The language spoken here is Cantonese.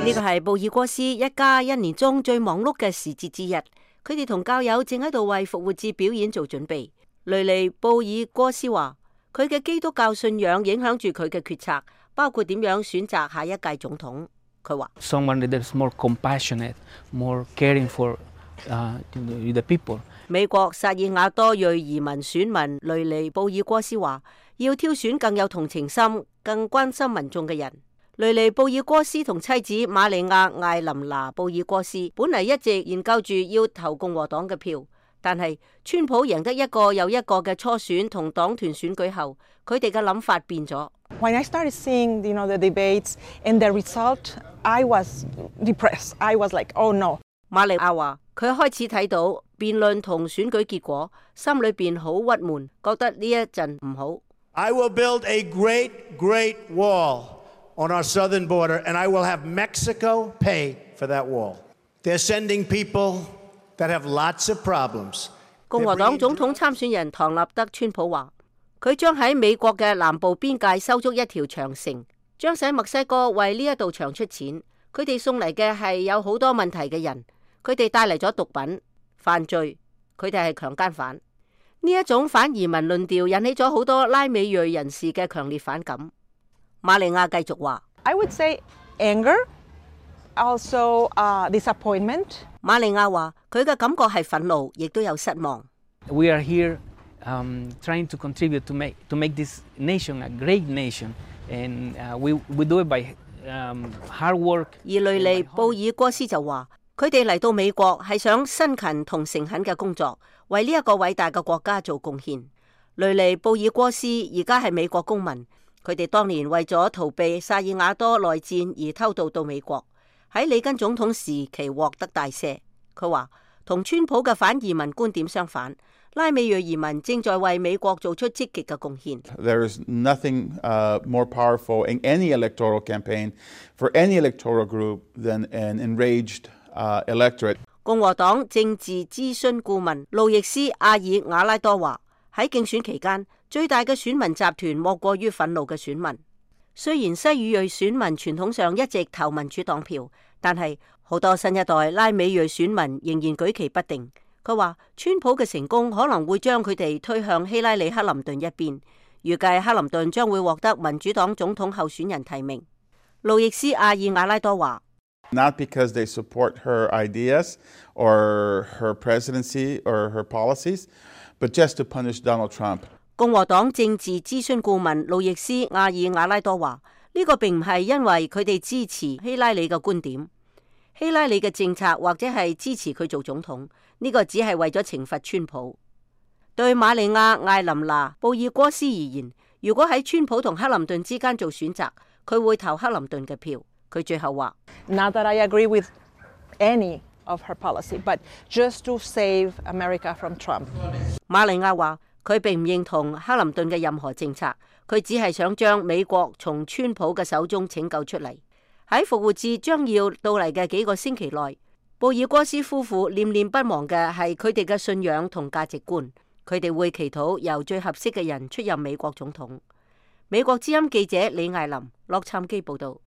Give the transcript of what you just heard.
呢個係布爾戈斯一家一年中最忙碌嘅時節之一，佢哋同教友正喺度為復活節表演做準備。雷尼布爾戈斯話，佢嘅基督教信仰影響住佢嘅決策，包括點樣選擇下一屆總統。佢話：Someone that is more compassionate, more caring for the people。美國薩爾瓦多裔移民選民雷尼布爾戈斯話，要挑選更有同情心、更關心民眾嘅人。雷尼布爾戈斯同妻子瑪利亞艾琳娜布爾戈斯本嚟一直研究住要投共和黨嘅票，但係川普贏得一個又一個嘅初選同黨團選舉後，佢哋嘅諗法變咗。When I started seeing, the debates and the result, I was depressed. I was like, oh no. 瑪利亞話，佢開始睇到辯論同選舉結果，心裏邊好鬱悶，覺得呢一陣唔好。I will build a great, great wall on our southern border, and I will have Mexico pay for that wall. They're sending people that have lots of problems. 共和黨總統參選人唐納德川普話，佢將喺美國嘅南部邊界修築一條長城，將使墨西哥為呢一道牆出錢。佢哋送嚟嘅係有好多問題嘅人，佢哋帶嚟咗毒品、犯罪，佢哋係強姦犯。呢一種反移民論調引起咗好多拉美裔人士嘅強烈反感。瑪利亞繼續話 I would say anger, also disappointment. 瑪利亞話佢嘅感覺係憤怒，亦都有失望。We are here trying to contribute to make this nation a great nation, and we do it by hard work. 而雷尼布爾戈斯就話，佢哋嚟到美國係想辛勤同誠懇嘅工作，為呢一個偉大嘅國家做貢獻。雷尼布爾戈斯而家係美國公民，佢哋當年為咗逃避薩爾瓦多內戰而偷渡到美國，喺里根總統時期獲得大赦。佢話同川普嘅反移民觀點相反，拉美裔移民正在為美國做出積極嘅貢獻。There is nothing more powerful in any electoral campaign for any electoral group than an enraged electorate. 共和黨政治諮詢顧問路易斯·阿爾瓦拉多話，喺競選期間，最大嘅選民集團莫過於憤怒嘅選民。雖然西語裔選民傳統上一直投民主黨票，但係好多新一代拉美裔選民仍然舉棋不定。佢話川普嘅成功可能會將佢哋推向希拉里·克林頓一邊，預計克林頓將會獲得民主黨總統候選人提名。路易斯·阿爾瓦拉多話Not because they support her ideas or her presidency or her policies, but just to punish Donald Trump. 共和黨政治諮詢顧問路易斯·阿爾瓦拉多話，呢個並唔係因為佢哋支持希拉里嘅觀點，希拉里嘅政策或者係支持佢做總統，呢個只係為咗懲罰川普。對瑪利亞·艾琳娜·布爾戈斯而言，如果喺川普同克林頓之間做選擇，佢會投克林頓嘅票。佢最後話 Not that I agree with any of her policy, but just to save America from Trump. 瑪利亞話佢並唔認同克林頓嘅任何政策，佢只係想將美國從川普嘅手中拯救出嚟。喺復活節將要到嚟嘅幾個星期內，布爾戈斯夫婦念念不忘嘅係佢哋嘅信仰同價值觀。佢哋會祈禱由最合適嘅人出任美國總統。美國之音記者李艾琳洛杉磯報道。